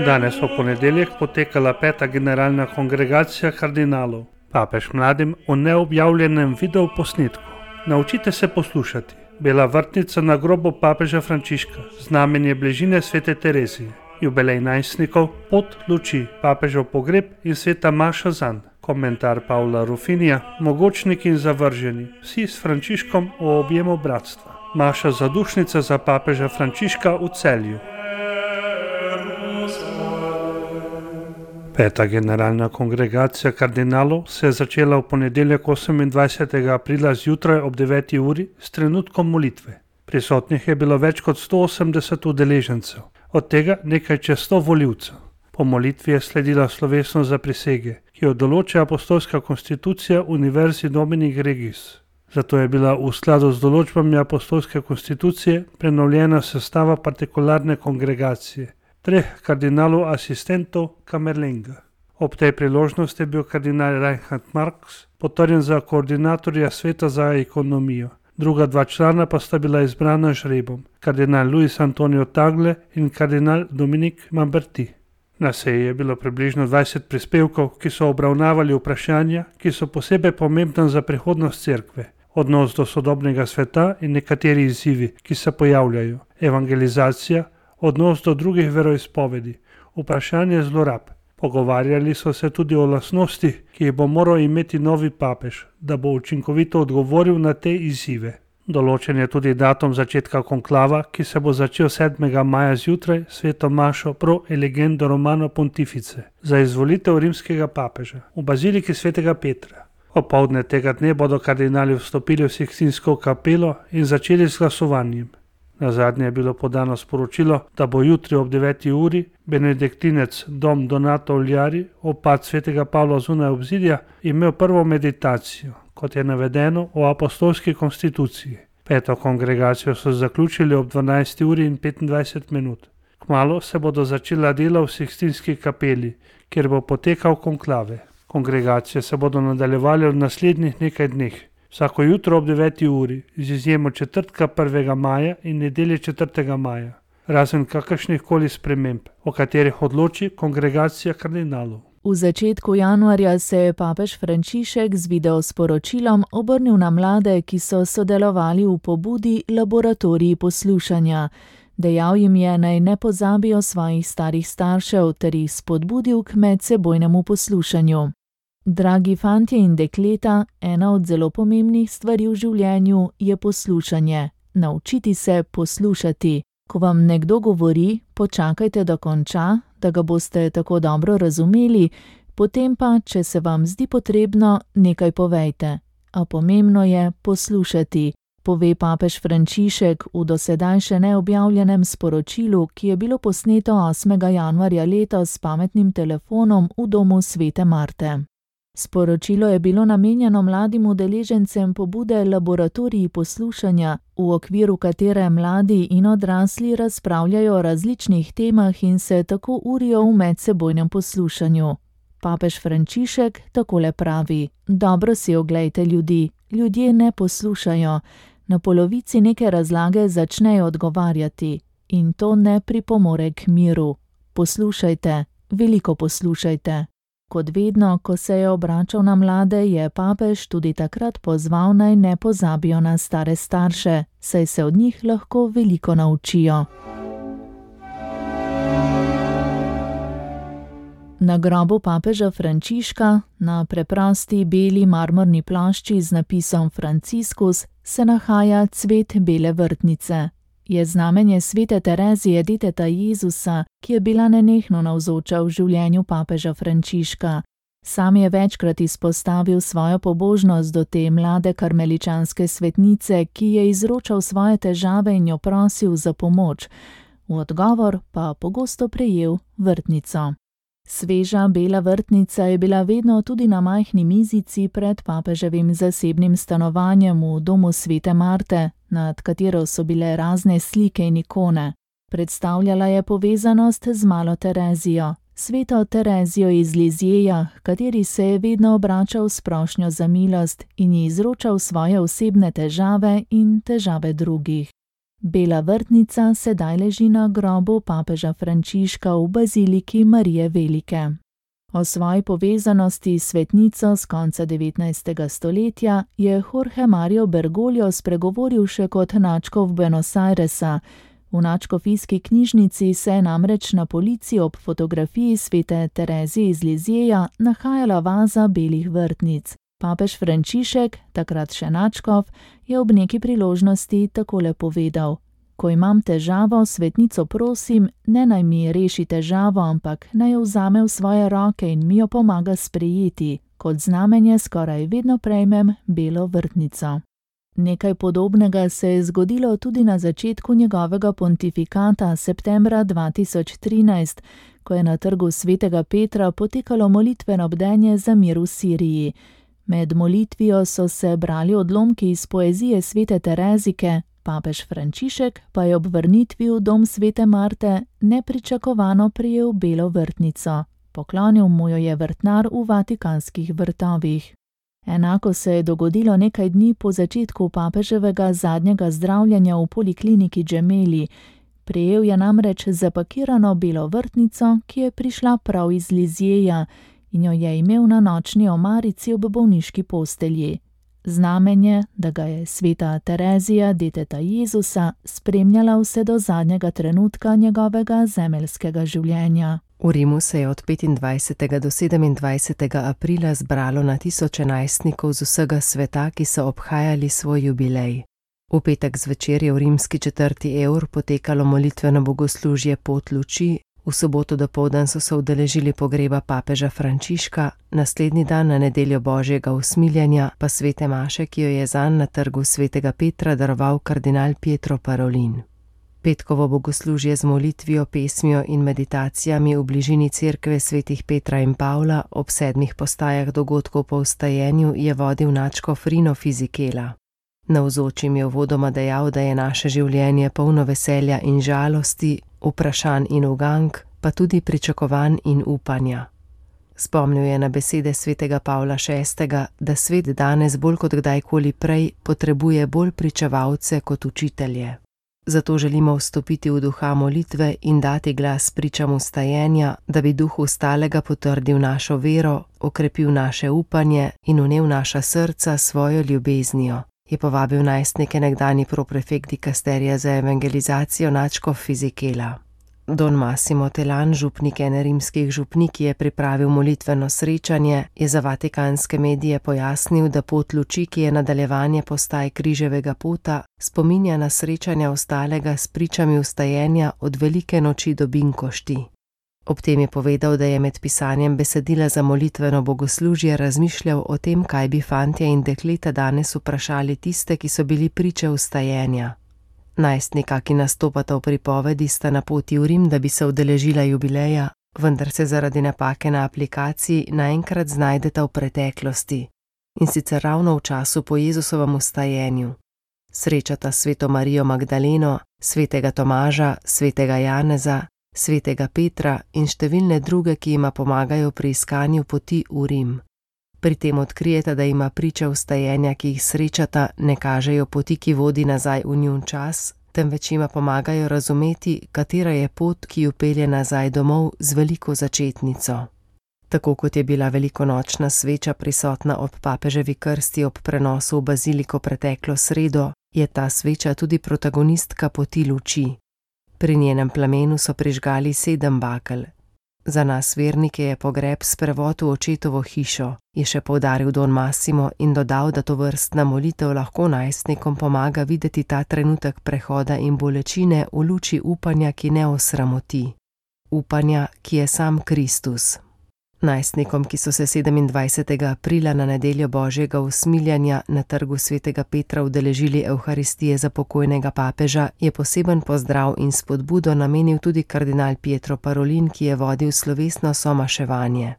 Danes v ponedeljek potekala 5. generalna kongregacija kardinalov. Papež mladim o neobjavljenem videoposnetku. Naučite se poslušati. Bela vrtnica na grobu papeža Frančiška, znamenje bližine svete Terezije. Jubilej najstnikov, pot luči, papežev pogreb in sveta maša zanj. Komentar Pavla Rufinija, mogočniki in zavrženi, vsi s Frančiškom o objemu bratstva. Maša zadušnica za papeža Frančiška v Celju. 5. generalna kongregacija kardinalov se je začela v ponedeljek 28. aprila zjutraj ob 9. uri s trenutkom molitve. Prisotnih je bilo več kot 180 udeležencev, od tega nekaj čez 100 volivcev. Po molitvi je sledila slovesnost za prisege, ki jo določa apostolska konstitucija Univerzi Dominik Regis. Zato je bila v skladu z določbami apostolske konstitucije prenovljena sestava partikularne kongregacije, 3 kardinalov asistentov Kamerlenga. Ob tej priložnosti je bil kardinal Reinhard Marx potrjen za koordinatorja sveta za ekonomijo. Druga 2 člana pa sta bila izbrana žrebom, kardinal Luis Antonio Tagle in kardinal Dominik Mamberti. Na seji je bilo približno 20 prispevkov, ki so obravnavali vprašanja, ki so posebej pomembna za prihodnost cerkve, odnos do sodobnega sveta in nekateri izzivi, ki se pojavljajo, evangelizacija, odnos do drugih veroizpovedi, vprašanje zlorab. Pogovarjali so se tudi o lastnostih, ki jih bo moral imeti novi papež, da bo učinkovito odgovoril na te izzive. Določen je tudi datum začetka konklava, ki se bo začel 7. maja zjutraj sveto mašo pro elegendo Romano Pontifice za izvolitev rimskega papeža v baziliki svetega Petra. Opoldne tega dne bodo kardinali vstopili v Sikstinsko kapelo in začeli s glasovanjem. Nazadnje je bilo podano sporočilo, da bo jutri ob 9. uri benediktinec Dom Donato Uljari, opat svetega Pavla zunaj obzidja, imel prvo meditacijo, kot je navedeno v apostolski konstituciji. 5. kongregacijo so zaključili ob 12. uri in 25 minut. Kmalu se bodo začela dela v Sikstinski kapeli, kjer bo potekal konklave. Kongregacije se bodo nadaljevali v naslednjih nekaj dneh. Vsako jutro ob 9. uri, z izjemo četrtka 1. maja in nedelje 4. maja, razen kakršnih koli sprememb, o katerih odloči kongregacija kardinalov. V začetku januarja se je papež Frančišek z videosporočilom obrnil na mlade, ki so sodelovali v pobudi Laboratoriji poslušanja. Dejal jim je, naj ne pozabijo svojih starih staršev ter jih spodbudil k medsebojnemu poslušanju. Dragi fantje in dekleta, ena od zelo pomembnih stvari v življenju je poslušanje. Naučiti se poslušati. Ko vam nekdo govori, počakajte, da konča, da ga boste tako dobro razumeli, potem pa, če se vam zdi potrebno, nekaj povejte. A pomembno je poslušati, pove papež Frančišek v dosedaj še neobjavljenem sporočilu, ki je bilo posneto 8. januarja letos s pametnim telefonom v domu svete Marte. Sporočilo je bilo namenjeno mladim udeležencem pobude Laboratoriji poslušanja, v okviru katere mladi in odrasli razpravljajo o različnih temah in se tako urijo v medsebojnem poslušanju. Papež Frančišek takole pravi: dobro si oglejte ljudi, ljudje ne poslušajo. Na polovici neke razlage začnejo odgovarjati in to ne pripomore k miru. Poslušajte, veliko poslušajte. Kot vedno, ko se je obračal na mlade, je papež tudi takrat pozval, naj ne pozabijo na stare starše, saj se od njih lahko veliko naučijo. Na grobu papeža Frančiška, na preprosti beli marmorni plošči z napisom Franciscus, se nahaja cvet bele vrtnice. Je znamenje svete Terezije deteta Jezusa, ki je bila nenehno navzoča v življenju papeža Frančiška. Sam je večkrat izpostavil svojo pobožnost do te mlade karmeličanske svetnice, ki je izročal svoje težave in jo prosil za pomoč. V odgovor pa pogosto prejel vrtnico. Sveža bela vrtnica je bila vedno tudi na majhni mizici pred papeževim zasebnim stanovanjem v domu svete Marte, nad katero so bile razne slike in ikone. Predstavljala je povezanost z malo Terezijo, sveto Terezijo iz Lizjeja, kateri se je vedno obračal s prošnjo za milost in ji izročal svoje osebne težave in težave drugih. Bela vrtnica sedaj leži na grobu papeža Frančiška v baziliki Marije Velike. O svoji povezanosti s svetnico z konca 19. stoletja je Jorge Mario Bergoglio spregovoril še kot nadškof Buenos Airesa. V nadškofijski knjižnici se je namreč na polici ob fotografiji svete Terezije iz Lizjeja nahajala vaza belih vrtnic. Papež Frančišek, takrat še nadškof, je ob neki priložnosti takole povedal: Ko imam težavo, svetnico prosim, ne naj mi reši težavo, ampak naj jo vzame v svoje roke in mi jo pomaga sprejeti. Kot znamenje skoraj vedno prejmem belo vrtnico. Nekaj podobnega se je zgodilo tudi na začetku njegovega pontifikata septembra 2013, ko je na trgu svetega Petra potekalo molitveno bdenje za mir v Siriji. Med molitvijo so se brali odlomki iz poezije svete Terezike, papež Frančišek pa je ob vrnitvi v dom svete Marte nepričakovano prejel belo vrtnico. Poklonil mu jo je vrtnar v Vatikanskih vrtovih. Enako se je dogodilo nekaj dni po začetku papeževega zadnjega zdravljenja v polikliniki Gemelli. Prejel je namreč zapakirano belo vrtnico, ki je prišla prav iz Lizjeja, in jo je imel na nočni omarici ob bolniški postelji. Znamenje, da ga je sveta Terezija, deteta Jezusa, spremljala vse do zadnjega trenutka njegovega zemeljskega življenja. V Rimu se je od 25. do 27. aprila zbralo na tisoče najstnikov z vsega sveta, ki so obhajali svoj jubilej. V petek zvečer je v rimski četrti Eur potekalo molitveno bogoslužje Pot luči, v soboto dopoldan so se udeležili pogreba papeža Frančiška, naslednji dan na nedeljo božjega usmiljenja pa svete maše, ki jo je zanj na trgu svetega Petra daroval kardinal Pietro Parolin. Petkovo bogoslužje z molitvijo, pesmijo in meditacijami v bližini cerkve svetih Petra in Pavla ob 7 postajah dogodkov po vstajenju je vodil nadškof Rino Fisichella. Navzočim je uvodoma dejal, da je naše življenje polno veselja in žalosti, vprašanj in ugank, pa tudi pričakovanj in upanja. Spomnil je na besede svetega Pavla VI., da svet danes bolj kot kdajkoli prej potrebuje bolj pričevalce kot učitelje. Zato želimo vstopiti v duha molitve in dati glas pričam vstajenja, da bi duh vstalega potrdil našo vero, okrepil naše upanje in vnel naša srca svojo ljubeznijo, je povabil najstnike nekdanji proprefekt dikasterija za evangelizacijo nadškof Fisichella. Don Massimo Telan, župnik ene rimskih župnik, ki je pripravil molitveno srečanje, je za vatikanske medije pojasnil, da pot luči, ki je nadaljevanje postaj križevega pota, spominja na srečanja vstalega s pričami vstajenja od velike noči do binkošti. Ob tem je povedal, da je med pisanjem besedila za molitveno bogoslužje razmišljal o tem, kaj bi fantje in dekleta danes vprašali tiste, ki so bili priče vstajenja. Najstnika, ki nastopata v pripovedi, sta na poti v Rim, da bi se udeležila jubileja, vendar se zaradi napake na aplikaciji naenkrat znajdeta v preteklosti, in sicer ravno v času po Jezusovem vstajenju. Srečata sveto Marijo Magdaleno, svetega Tomaža, svetega Janeza, svetega Petra in številne druge, ki jima pomagajo pri iskanju poti v Rim. Pri tem odkrijeta, da ima priče vstajenja, ki jih srečata, ne kažejo poti, ki vodi nazaj v njun čas, temveč jima pomagajo razumeti, katera je pot, ki ju pelje nazaj domov z veliko začetnico. Tako kot je bila velikonočna sveča prisotna ob papeževi krsti ob prenosu v baziliko preteklo sredo, je ta sveča tudi protagonistka poti luči. Pri njenem plamenu so prižgali 7 bakel. Za nas vernike je pogreb sprevod v očetovo hišo, je še poudaril Don Massimo in dodal, da tovrstna molitev lahko najstnikom pomaga videti ta trenutek prehoda in bolečine v luči upanja, ki ne osramoti. Upanja, ki je sam Kristus. Najstnikom, ki so se 27. aprila na nedeljo božjega usmiljenja na trgu svetega Petra udeležili Evharistije za pokojnega papeža, je poseben pozdrav in spodbudo namenil tudi kardinal Pietro Parolin, ki je vodil slovesno somaševanje.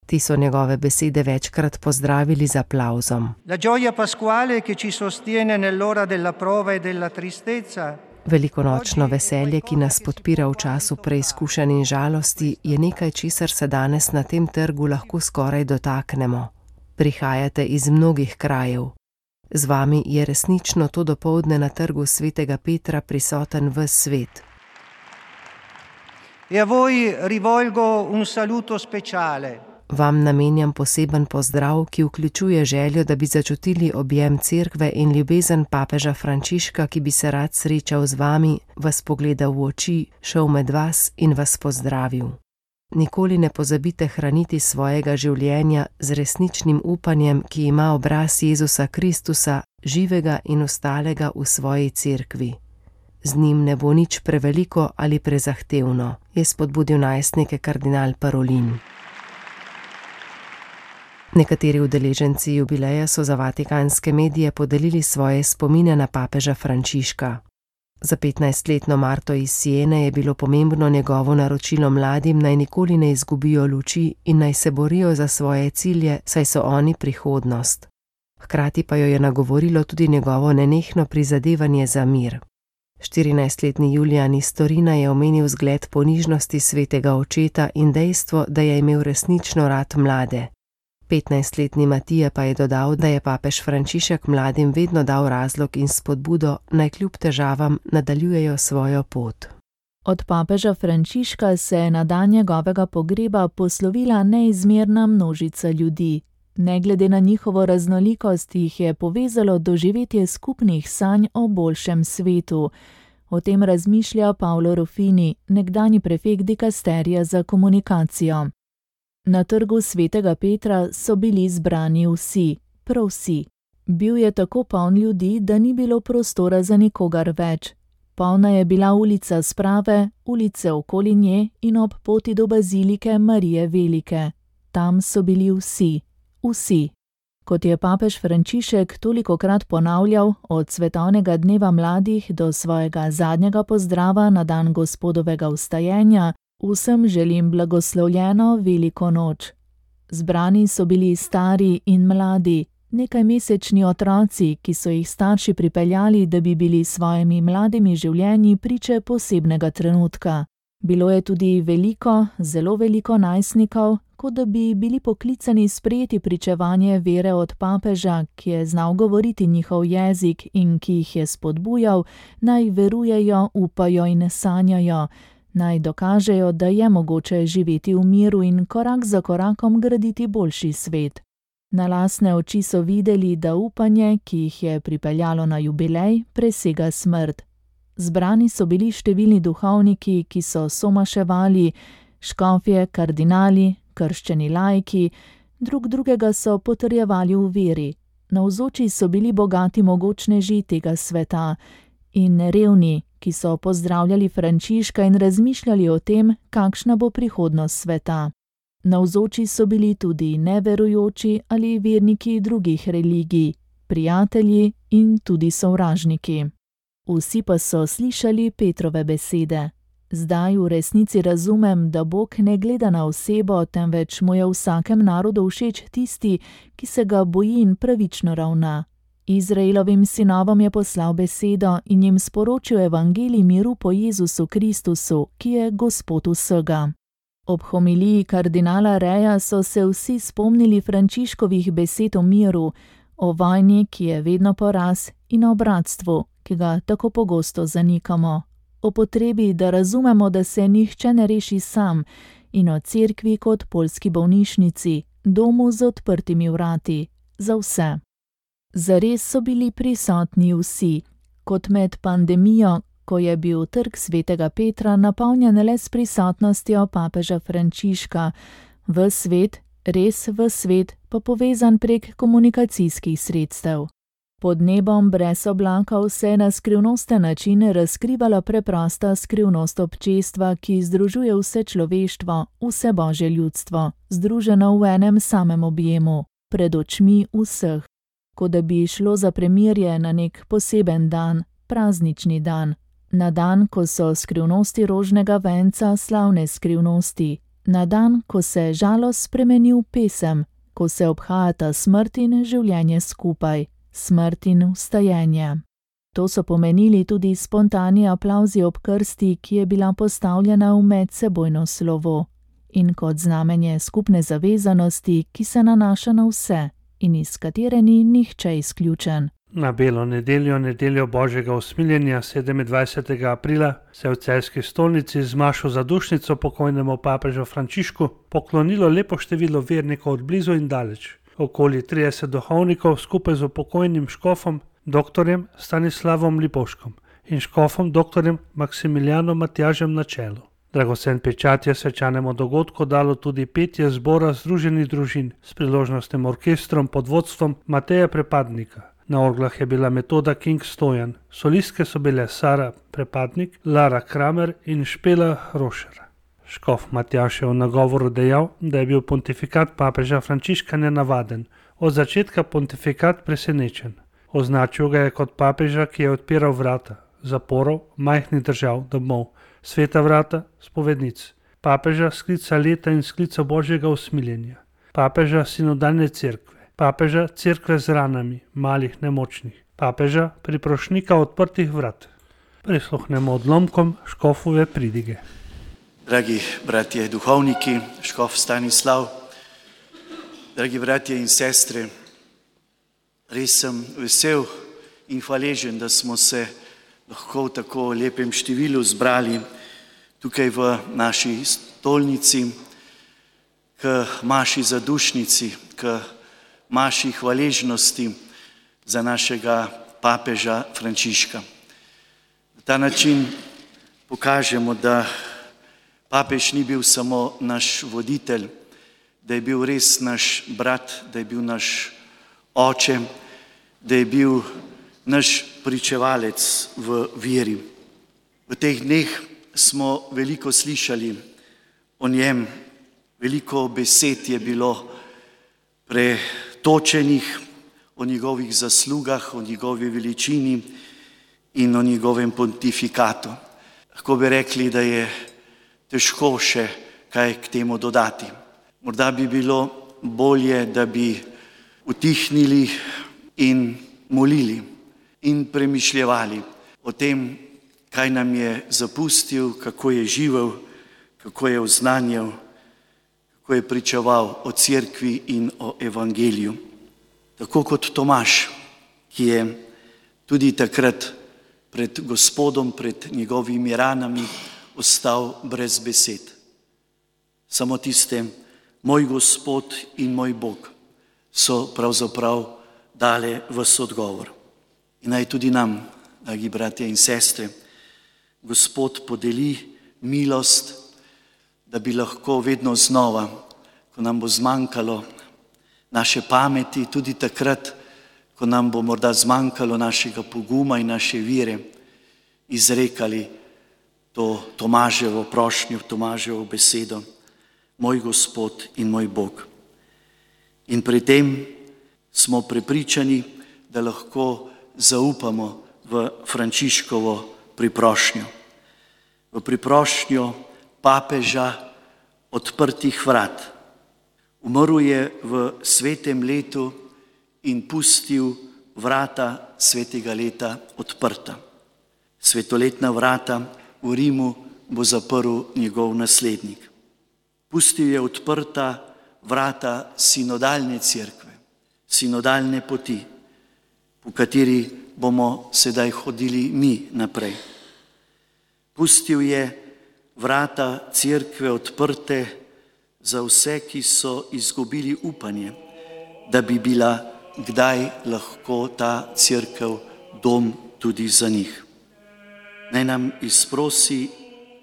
Ti so njegove besede večkrat pozdravili z aplavzom. La gioia pasquale che ci sostiene nell'ora della prova e della tristezza. Velikonočno veselje, ki nas podpira v času preizkušenj in žalosti, je nekaj, česar se danes na tem trgu lahko skoraj dotaknemo. Prihajate iz mnogih krajev. Z vami je resnično to dopoldne na trgu svetega Petra prisoten ves svet. E a voi rivolgo un saluto speciale. Vam namenjam poseben pozdrav, ki vključuje željo, da bi začutili objem cerkve in ljubezen papeža Frančiška, ki bi se rad srečal z vami, vas pogledal v oči, šel med vas in vas pozdravil. Nikoli ne pozabite hraniti svojega življenja z resničnim upanjem, ki ima obraz Jezusa Kristusa, živega in ostalega v svoji cerkvi. Z njim ne bo nič preveliko ali prezahtevno, je spodbudil najstnike kardinal Parolin. Nekateri udeleženci jubileja so za vatikanske medije podelili svoje spomine na papeža Frančiška. Za 15-letno Marto iz Siene je bilo pomembno njegovo naročilo mladim, naj nikoli ne izgubijo luči in naj se borijo za svoje cilje, saj so oni prihodnost. Hkrati pa jo je nagovorilo tudi njegovo nenehno prizadevanje za mir. 14-letni Julijan iz Torina je omenil zgled ponižnosti svetega očeta in dejstvo, da je imel resnično rad mlade. 15-letni Matija pa je dodal, da je papež Frančišek mladim vedno dal razlog in spodbudo, naj kljub težavam nadaljujejo svojo pot. Od papeža Frančiška se je na dan njegovega pogreba poslovila neizmerna množica ljudi. Ne glede na njihovo raznolikost jih je povezalo doživetje skupnih sanj o boljšem svetu. O tem razmišlja Paolo Ruffini, nekdanji prefekt dikasterija za komunikacijo. Na trgu svetega Petra so bili zbrani vsi, prav vsi. Bil je tako poln ljudi, da ni bilo prostora za nikogar več. Polna je bila ulica Sprave, ulice okoli nje in ob poti do bazilike Marije Velike. Tam so bili vsi. Vsi. Kot je papež Frančišek tolikokrat ponavljal, od svetovnega dneva mladih do svojega zadnjega pozdrava na dan Gospodovega vstajenja, vsem želim blagoslovljeno veliko noč. Zbrani so bili stari in mladi, nekajmesečni otroci, ki so jih starši pripeljali, da bi bili svojimi mladimi življenji priče posebnega trenutka. Bilo je tudi veliko, zelo veliko najstnikov, kot da bi bili poklicani sprejeti pričevanje vere od papeža, ki je znal govoriti njihov jezik in ki jih je spodbujal, naj verujejo, upajo in sanjajo, naj dokažejo, da je mogoče živeti v miru in korak za korakom graditi boljši svet. Na lastne oči so videli, da upanje, ki jih je pripeljalo na jubilej, presega smrt. Zbrani so bili številni duhovniki, ki so somaševali, škofje, kardinali, krščeni laiki, drug drugega so potrjevali v veri. Navzoči so bili bogati mogočneži tega sveta in revni, ki so pozdravljali Frančiška in razmišljali o tem, kakšna bo prihodnost sveta. Navzoči so bili tudi neverujoči ali verniki drugih religij, prijatelji in tudi sovražniki. Vsi pa so slišali Petrove besede. Zdaj v resnici razumem, da Bog ne gleda na osebo, temveč mu je v vsakem narodu všeč tisti, ki se ga boji in pravično ravna. Izraelovim sinovom je poslal besedo in jim sporočil evangelij miru po Jezusu Kristusu, ki je Gospod vsega. Ob homiliji kardinala Reja so se vsi spomnili Frančiškovih besed o miru, o vojni, ki je vedno poraz, in o bratstvu, ki ga tako pogosto zanikamo. O potrebi, da razumemo, da se nihče ne reši sam, in o cerkvi kot poljski bolnišnici, domu z odprtimi vrati, za vse. Zares so bili prisotni vsi, kot med pandemijo, ko je bil trg svetega Petra napolnjen le s prisotnostjo papeža Frančiška, v svet, res v svet, pa povezan prek komunikacijskih sredstev. Pod nebom brez oblakov se je na skrivnosten način razkrivala preprosta skrivnost občestva, ki združuje vse človeštvo, vse božje ljudstvo, združeno v enem samem objemu, pred očmi vseh. Kot da bi šlo za premirje na nek poseben dan, praznični dan, na dan, ko so skrivnosti rožnega venca slavne skrivnosti, na dan, ko se žalost spremeni v pesem, ko se obhajata smrt in življenje skupaj, smrt in vstajenje. To so pomenili tudi spontani aplavzi ob krsti, ki je bila postavljena v medsebojno slovo, in kot znamenje skupne zavezanosti, ki se nanaša na vse in iz katere ni nihče izključen. Na Belo nedeljo, nedeljo Božjega usmiljenja 27. aprila, se je v celjski stolnici z mašo za dušnico pokojnemu papežu Frančišku poklonilo lepo število vernikov od blizu in daleč. Okoli 30 duhovnikov skupaj z pokojnim škofom dr. Stanislavom Lipovškom in škofom dr. Maksimilijanom Matjažem na čelu. Dragocen pečat je svečanemu dogodku dalo tudi petje zbora Združenih družin s priložnostnim orkestrom pod vodstvom Mateja Prepadnika. Na orglah je bila Metoda King Stojan, solistke so bile Sara Prepadnik, Lara Kramer in Špela Rošer. Škof Matjaž je v nagovoru dejal, da je bil pontifikat papeža Frančiška nenavaden, od začetka pontifikat presenečen. Označil ga je kot papeža, ki je odpiral vrata zaporov, majhnih držav, domov, sveta vrata, spovednic, papeža sklica leta in sklica Božjega usmiljenja, papeža sinodalne cerkve, papeža cerkve z ranami, malih nemočnih, papeža priprošnika odprtih vrat. Prisluhnemo odlomkom škofove pridige. Dragi bratje duhovniki, škof Stanislav, dragi bratje in sestre, res sem vesel in hvaležen, da smo se lahko v tako lepem številu zbrali tukaj v naši stolnici k maši zadušnici, k maši hvaležnosti za našega papeža Frančiška. Na ta način pokažemo, da papež ni bil samo naš voditelj, da je bil res naš brat, da je bil naš oče, da je bil naš pričevalec v veri. V teh dneh smo veliko slišali o njem, veliko besed je bilo pretočenih o njegovih zaslugah, o njegovi veličini in o njegovem pontifikatu. Lahko bi rekli, da je težko še kaj k temu dodati. Morda bi bilo bolje, da bi utihnili in molili in premišljevali o tem, kaj nam je zapustil, kako je živel, kako je oznanjal, kako je pričeval o cerkvi in o evangeliju. Tako kot Tomaž, ki je tudi takrat pred Gospodom, pred njegovimi ranami ostal brez besed. Samo tiste, moj Gospod in moj Bog, so pravzaprav dale ves odgovor. In naj tudi nam, dragi bratje in sestre, Gospod podeli milost, da bi lahko vedno znova, ko nam bo zmanjkalo naše pameti, tudi takrat, ko nam bo morda zmanjkalo našega poguma in naše vire, izrekali to Tomaževo prošnjo, Tomaževo besedo, moj Gospod in moj Bog. In pri tem smo prepričani, da lahko zaupamo v Frančiškovo priprošnjo. V priprošnjo papeža odprtih vrat. Umrl je v svetem letu in pustil vrata svetega leta odprta. Svetoletna vrata v Rimu bo zaprl njegov naslednik. Pustil je odprta vrata sinodalne cerkve, sinodalne poti, po kateri bomo sedaj hodili mi naprej. Pustil je vrata cerkve odprte za vse, ki so izgubili upanje, da bi bila kdaj lahko ta cerkev dom tudi za njih. Naj nam izprosi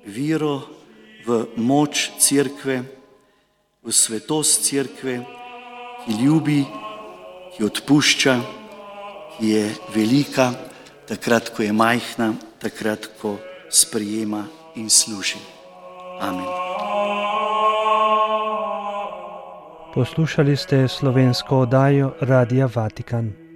vero v moč cerkve, v svetost cerkve, ki ljubi, ki odpušča, ki je velika, takrat, ko je majhna, takrat, ko sprejema in služi. Amen. Poslušali ste slovensko oddajo Radia Vatikan.